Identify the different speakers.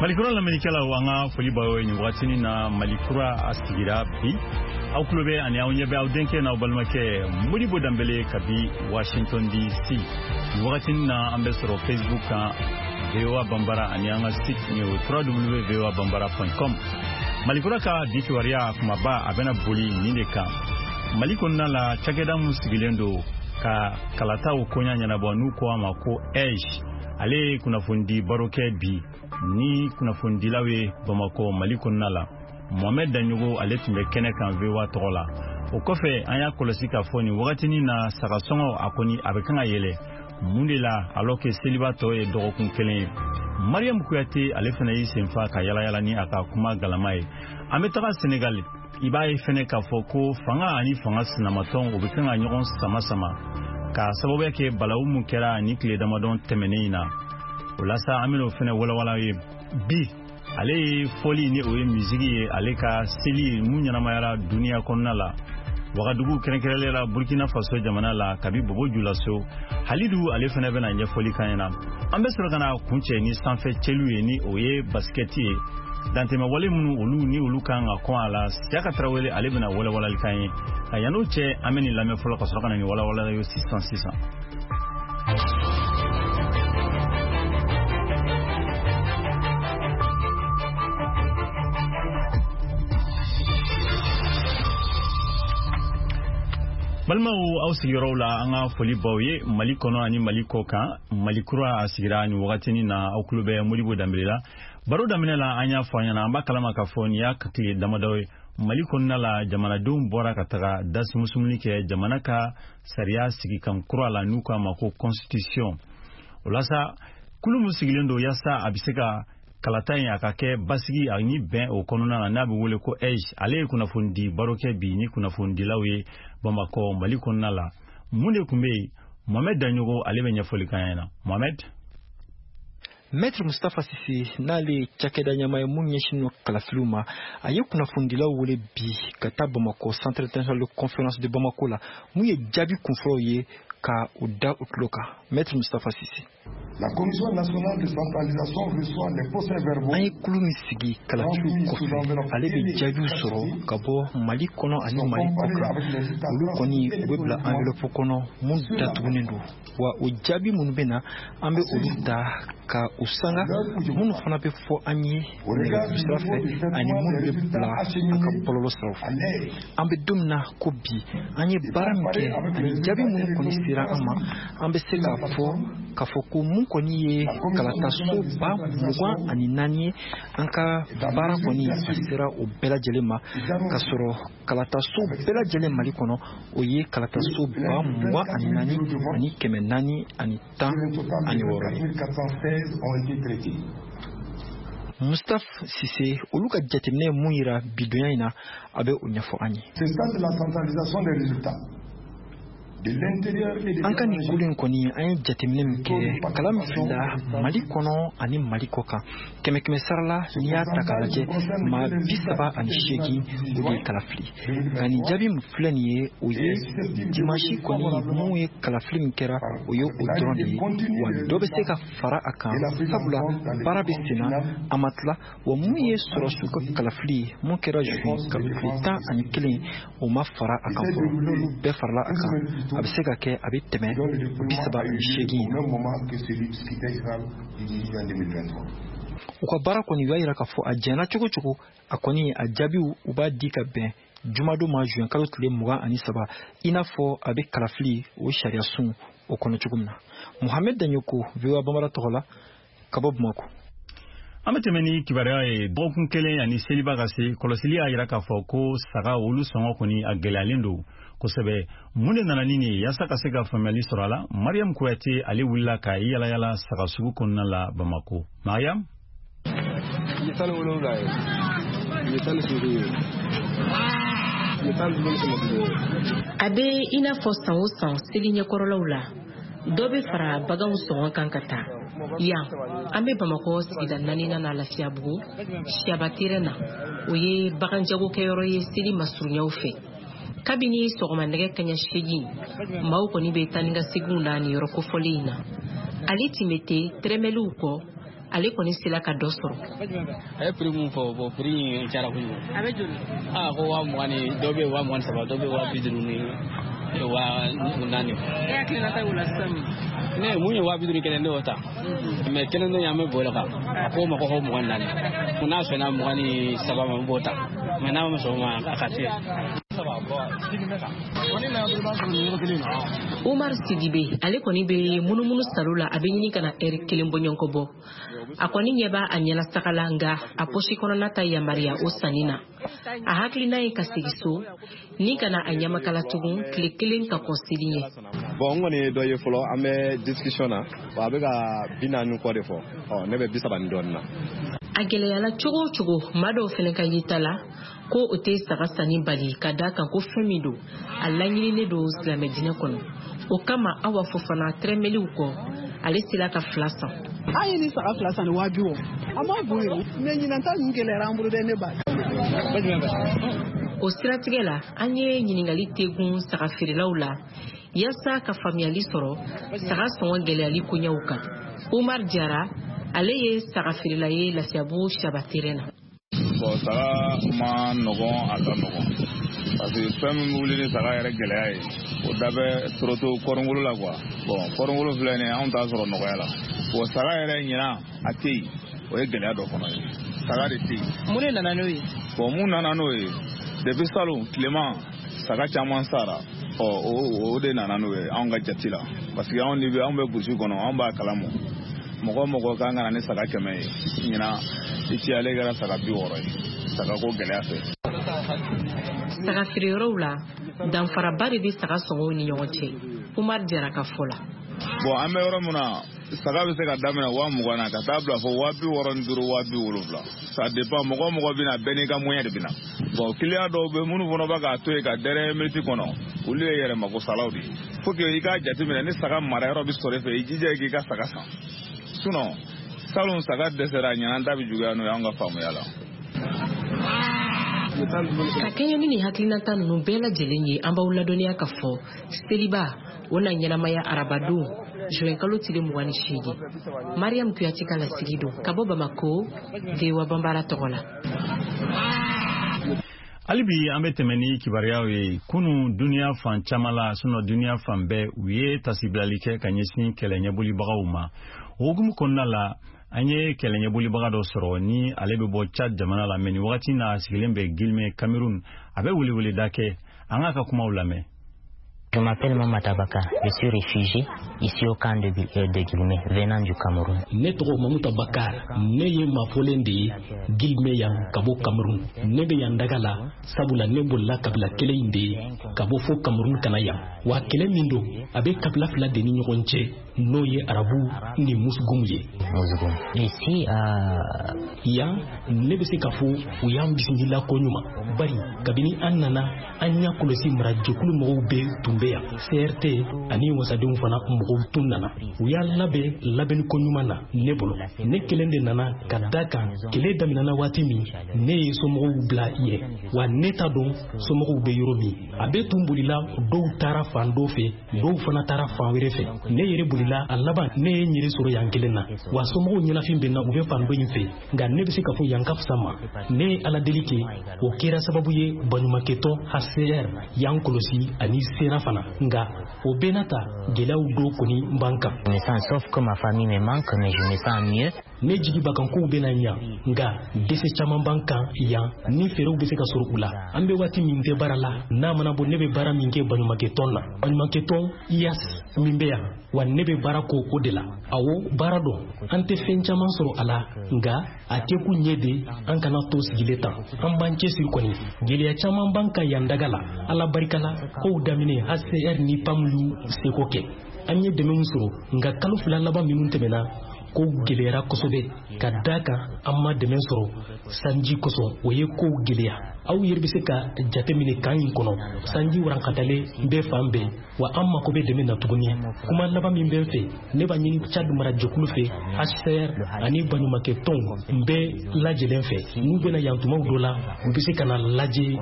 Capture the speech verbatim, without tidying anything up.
Speaker 1: Malikura lamɛnnikɛlaw, an ka foli b'aw ye nin wagatinin na. Malikura a sigira bi, aw tulo bɛ ani aw ɲɛ bɛ aw denkɛ n'aw balimakɛ Modibo Danbele kabi Washington D C. Nin wagatinin na, an bɛ sɔrɔ Facebook kan, V O A Banbara, ani an ka site ni o W W W point voa banbara point com. Malikura ka bi kibaruya kumaba, a bɛna boli nin de kan: Mali kɔnɔna la, cakɛda mun sigilen don ka kalataw koɲa ɲɛnabɔ, n'u ko a ma ko A E J, ale ye kunnafonidi baro kɛ bi ni kunnafonidilaw ye Bamakɔ, Mali kɔnɔna la. Mohamɛd Daɲogo, ale tun bɛ kɛnɛ kan V O A tɔgɔ la. O kɔfɛ, an y'a kɔlɔsi k'a fɔ nin wagatinin na, sagasɔngɔ a kɔni a bɛ kan ka yɛlɛ. Mun de la, alors que seliba tɔ ye dɔgɔkun kelen ye? Mariam Kuyate, ale fana y'i senfa ka yalayala ni a ka kuma galama ye. An bɛ taga Senegali, i b'a ye fɛnɛ k'a fɔ ko fanga ani fanga sinamatɔn, o bɛ kan ka ɲɔgɔn sama sama ka sababuya kɛ balawu mun kɛra ni tile damadɔ tɛmɛnen in na. O la sa, an bɛn'o fɛnɛ walawala ye bi. Ale ye fɔli ni o ye misigi ye, ale ka seli mun ɲɛnamayara duniya kɔnɔna la, Wagadugu, kɛrɛnkɛrɛnlen la Burkina Faso jamana la, kabi Bobo Julaso. Halidu, ale fɛnɛ bɛna ɲɛfɔli kan ɲɛna. An bɛ sɔrɔ ka na kuncɛ ni sanfɛ cɛliw ye, ni o ye basikɛti ye, dantɛmɛwale minnu olu ni olu kan ka kɔn a la. Siyaka Tarawele, ale bɛna walawalali kan ye. Nka yann'o cɛ, an bɛ nin lamɛn fɔlɔ ka sɔrɔ ka na nin walawalali ye sisan sisan. Balimaw, aw sigiyɔrɔw la, an ka foli baw ye Mali kɔnɔ ani Mali kɔ kan. Mali kura a sigira nin wagatinin na, aw tulo bɛ Modibo Danbele la. Baro daminɛ la, an y'a fɔ an ɲɛna, an b'a kalama k'a fɔ nin y'a tile damadɔ ye, Mali kɔnɔna la, jamanadenw bɔra ka taga dasumusumuni kɛ jamana ka sariya sigikan kura la, n'u k'a ma ko constitution. O la sa, kulu min sigilen don yaasa a bɛ se ka kalata in a ka kɛ basigi ani bɛn o kɔnɔna na, n'a bɛ wele ko A E J, ale ye kunnafonidi baro kɛ bi ni kunnafonidilaw ye Bamakɔ, Mali kɔnɔna la. Mun de tun bɛ yen? Mohamɛd Daɲogo, ale bɛ ɲɛfɔli k'an ɲɛna. Mohamɛd.
Speaker 2: Maître Mustapha Cissé, n'ale ye cakɛda ɲɛmaa ye mun ɲɛsinnen don kalafiliw ma, a ye kunnafonidilaw wele bi ka taa Bamakɔ, Centre international de conférence de Bamako la. Mun ye jaabi kunfɔlɔw ye ka u da u tulo kan? Maître Mustapha Cissé.
Speaker 3: La Commission nationale de centralisation reçoit les procès-verbaux.
Speaker 2: An ye kulu min sigi kalafiliw kɔfɛ, ale bɛ jaabiw sɔrɔ ka bɔ Mali kɔnɔ ani Mali kɔkan. Olu kɔni, u bɛ bila enveloppe kɔnɔ mun datugunen don. Wa o jaabi minnu bɛ na, an bɛ olu ta ka u sanga, minnu fana bɛ fɔ an ye nɛgɛjuru sira fɛ ani minnu bɛ bila an ka bɔlɔlɔ siraw fɛ. An bɛ don min na ko bi, an ye baara min kɛ ani jaabi minnu kɔni sera an ma, an bɛ se k'a fɔ k'a fɔ ko mun kɔni ye kalataso ba mugan ani naani ye, an ka baara kɔni a sera o bɛɛ lajɛlen ma, ka sɔrɔ kalataso bɛɛ lajɛlen Mali kɔnɔ, o ye kalataso ba mugan ani naani ani kɛmɛ naani ani tan ani wɔɔrɔ ye. Mustapha Cissé, olu ka jateminɛ ye mun yira bidonya in na, a bɛ o ɲɛfɔ an ye.
Speaker 3: C'est ça de la centralisation des résultats.
Speaker 2: An ka nin kulu in kɔni, an ye jateminɛ min kɛ, kala min filila Mali kɔnɔ ani Mali kɔ kan, kɛmɛ kɛmɛ sara la, n'i y'a ta k'a lajɛ, maa bi saba ani seegin o de ye kala fili. Nka nin jaabi min filɛ nin ye, o ye dimanche kɔni mun ye kalafili min kɛra, o ye o dɔrɔn de ye. Wa dɔ bɛ se ka fara a kan, sabula baara bɛ sen na, a ma tila. Wa mun ye sɔrɔsiw ka kalafili ye mun kɛra juin kalo tile tan ani kelen, o ma fara a kan fɔlɔ. N'olu bɛɛ farala a kan, a bɛ se ka kɛ a bɛ tɛmɛ bi saba ani seegin. U ka baara kɔni, u y'a yira k'a fɔ a jɛnna cogo cogo, a kɔni a jaabiw u b'a di ka bɛn jumadon ma, juin kalo tile mugan ani saba, i n'a fɔ a bɛ kalafili o sariya sun o kɔnɔ cogo min na. Mohamed Daɲoko, V O A Bambara tɔgɔ la, ka bɔ Bamakɔ.
Speaker 1: An bɛ tɛmɛ ni kibaruya ye. Dɔgɔkun kelen ani seliba ka se, kɔlɔsili y'a yira k'a fɔ ko saga olu sɔngɔ kɔni a gɛlɛyalen don kosɛbɛ. Mun de nana ni nin ye? Yaasa ka se ka faamuyali sɔrɔ a la, Mariam Kuyate, ale wulila ka yala yala saga sugu kɔnɔna la Bamako. Mariam.
Speaker 4: Ye tan ni wolonwula ye, ye tan ni seegin ye, ye tan ni duuru ni kɛmɛ duuru ye.
Speaker 5: A bɛ i n'a fɔ san o san, seli ɲɛkɔrɔlaw la, dɔ bɛ fara baganw sɔngɔ kan ka taa. Yan, an bɛ Bamakɔ sigida naaninan na, Lafiyabugu Siyaba terrain na. O ye bagan jagokɛyɔrɔ ye seli masurunyaw fɛ. Kabini sɔgɔma nɛgɛ kaɲa seegin, maaw kɔni bɛ taa ni ka seginw na nin yɔrɔ kofɔlen in na. Ale Timete tɛrɛmɛliw kɔ. Ale kɔni sera ka dɔ sɔrɔ.
Speaker 4: A ye prix mun fɔ, bon, prix in cayara kojugu.
Speaker 5: A bɛ joli?
Speaker 4: Aa, ko waa mugan ni dɔw bɛ yen waa mugan ni saba, dɔw bɛ yen waa bi duuru ni waa naani.
Speaker 5: E hakilinata y'o la sisan mun?
Speaker 4: Ne mun ye waa bi duuru kelen, ne y'o ta. Mais kelen dɔ in, an bɛ bɔ o kan. A ko ma ko ko mugan ni naani. N'a sɔnna mugan ni saba ma, n b'o ta. Mais n'a ma sɔn o ma, a ka se.
Speaker 5: Umar Sidibe, ale kɔni bɛ munumunu salo la, a bɛ ɲini ka na ɛri kelen bɔɲɔgɔnko bɔ. A kɔni ɲɛ b'a a ɲɛna saga la, nka a pɔsi kɔnɔna ta yamaruya o sanni na. A hakilina ye ka segin so ni ka na a ɲamakala tugun tile kelen ka kɔn seli ɲɛ.
Speaker 6: Bon, n kɔni ye dɔ ye fɔlɔ, an bɛ discussion na, a bɛ ka bi naani kɔ de fɔ, ɔ ne bɛ bi saba ni dɔɔnin na.
Speaker 5: A gɛlɛyala cogo o cogo, maa dɔw fana ka yeta la ko o tɛ saga sanni bali, ka da kan ko fɛn min don, a laɲininen don silamɛ diinɛ kɔnɔ. O kama, Awa Fofana, tɛrɛmɛliw kɔ, ale sera ka fila san.
Speaker 7: An ye nin saga fila san ni waa bi wɔɔrɔ, an b'a bon yɛrɛ, mais ɲinan ta ninnu gɛlɛyara an bolo dɛ, ne ba.
Speaker 5: O siratigɛ la, an ye ɲininkali tegun saga feerelaw la yaasa ka faamuyali sɔrɔ saga sɔngɔ gɛlɛyali koɲɛw kan. Umar Jara, ale ye saga feerela ye Lafiyabugu Saba terrain na.
Speaker 8: Bon, saga ma nɔgɔn, a ka nɔgɔn, parce que fɛn min bɛ wuli ni saga yɛrɛ gɛlɛya ye, o da bɛ soroto kɔrɔngolo la quoi. Bon, kɔrɔngolo filɛ nin ye, anw t'a sɔrɔ nɔgɔya la. Bon, saga yɛrɛ ɲinan a tɛ yen, o ye gɛlɛya dɔ fana ye, saga de tɛ yen.
Speaker 7: Mun de nana n'o ye?
Speaker 8: Bon, mun nana n'o ye, depuis salon tilema saga caman sara, ɔ o o de nana n'o ye anw ka jate la, parce que anw de bɛ anw bɛ burusi kɔnɔ, anw b'a kalama. Mɔgɔ mɔgɔ kan ka na ni saga kɛmɛ ye, ɲinan i ci ale kɛra saga bi wɔɔrɔ ye, saga ko gɛlɛya fɛ.
Speaker 5: Saga feereyɔrɔw la, danfaraba de bɛ saga sɔngɔw ni ɲɔgɔn cɛ, Umar Jara ka fɔ la.
Speaker 8: Bon, an bɛ yɔrɔ min na, saga bɛ se ka daminɛ waa mugan na ka taa bila fɔ waa bi wɔɔrɔ ni duuru, waa bi wolonwula. Ça dépend, mɔgɔ mɔgɔ bɛ na, bɛɛ n'i ka moyen de bɛ na. Bon, client dɔw bɛ minnu fana bɛ k'a to yen ka dernière minute kɔnɔ, olu ye yɛrɛ magosalaw de ye. Faut que i k'a jateminɛ, ni saga mara yɔrɔ bɛ sɔrɔ i fɛ, i jija i k'i ka saga san. Sinon salon saga dɛsɛra, ɲinan ta bɛ juguya n'o ye anw ka faamuya la.
Speaker 5: Ka kɛɲɛ ni nin hakilinata ninnu bɛɛ lajɛlen ye, an b'aw ladɔnniya ka fɔ seliba o na ɲɛnamaya arabadon juin kalo tile mugan ni seegin. Mariam Kuyate ka lasigi don ka bɔ Bamako, V O A Banbara tɔgɔ la.
Speaker 1: Hali bi an bɛ tɛmɛ ni kibaruyaw ye. Kunu, duniya fan caman la, sinɔ duniya fan bɛɛ, u ye tasibilali kɛ ka ɲɛsin kɛlɛ ɲɛbolibagaw ma. O hukumu kɔnɔna la, an ye kɛlɛ ɲɛbolibaga dɔ sɔrɔ ni ale bɛ bɔ Chad jamana la, mais nin wagati n'a a sigilen bɛ Guilmé, Cameroun. A bɛ weleweleda kɛ, an k'a ka kumaw lamɛn.
Speaker 9: Je m'appelle Mamata Bakar, je suis réfugié ici au camp de, de Guilmé, venant du Cameroun.
Speaker 10: Ne tɔgɔ Mamuta Bakar, ne ye mafɔlen de ye Guilmé yan ka bɔ Cameroun. Ne bɛ yan daga la, sabula ne bolila kabila kelen in de ye ka bɔ fo Cameroun ka na yan. Wa kɛlɛ min don, a bɛ kabila fila de ni ɲɔgɔn cɛ, n'o ye arabu ni musugumu ye.
Speaker 9: Musgum. Ici, euh,
Speaker 10: Yan, ne bɛ se k'a fɔ u y'an bisimila koɲuman, bari kabini an nana, an y'a kɔlɔsi marajɛkulu mɔgɔw bɛɛ tun bɛ yan, C R T ani wasadenw fana mɔgɔw tun nana. U y'a labɛn labɛnni koɲuman na ne bolo. Ne kelen de nana, ka da kan kɛlɛ daminɛna waati min, ne ye somɔgɔw bila yen, wa ne t'a dɔn somɔgɔw bɛ yɔrɔ min. A bɛɛ tun bolila, dɔw taara fan dɔ fɛ, dɔw fana taara fan wɛrɛ fɛ. Ne yɛrɛ bolila, a laban ne ye n yɛrɛ sɔrɔ yan kelen na. Wa somɔgɔw ɲɛnafin bɛ n na, u bɛ fan dɔ in fɛ, nka ne bɛ se k'a fɔ yan ka fisa ma. Ne ye ala deli kɛ, o kɛra sababu ye baɲumankɛtɔn H C R y'an kɔlɔsi ani sera fana. Nka o bɛɛ n'a ta, gɛlɛyaw dɔw kɔni b'an kan.
Speaker 9: Je me sens, sauf que ma famille me manque, mais je me sens mieux.
Speaker 10: Ne jigi b'a kan kow bɛna ɲa, nka dɛsɛ caman b'an kan yan ni fɛɛrɛw bɛ se ka sɔrɔ u la. An bɛ waati min tɛ baara la, n'a mana bɔ ne bɛ baara min kɛ baɲumankɛtɔn na, baɲumankɛtɔn I A S min bɛ yan, wa ne bɛ baara ko o de la. Awɔ, baara dɔn, an tɛ fɛn caman sɔrɔ a la, nka a kɛkun ɲɛ de an kana to sigilen tan, an b'an cɛsiri kɔni. Gɛlɛya caman b'an kan yan daga la. Ala barika la, kow daminɛ H C R ni PAM y'u seko kɛ, an ye dɛmɛw sɔrɔ. Nka kalo fila laban minnu tɛmɛna, kow gɛlɛyara kosɛbɛ, ka da kan an ma dɛmɛ sɔrɔ sanji kosɔn, o ye kow gɛlɛya. Aw yɛrɛ bɛ se ka jate minɛ kan in kɔnɔ, sanji warankatalen bɛ fan bɛɛ, wa an mako bɛ dɛmɛ na tuguni. Kuma laban min bɛ n fɛ, ne b'a ɲini Chad marajɛkulu fɛ, H C R ani baɲumankɛtɔnw bɛɛ lajɛlen fɛ, n'u bɛna yan tumaw dɔ la, u bɛ se ka na lajɛ.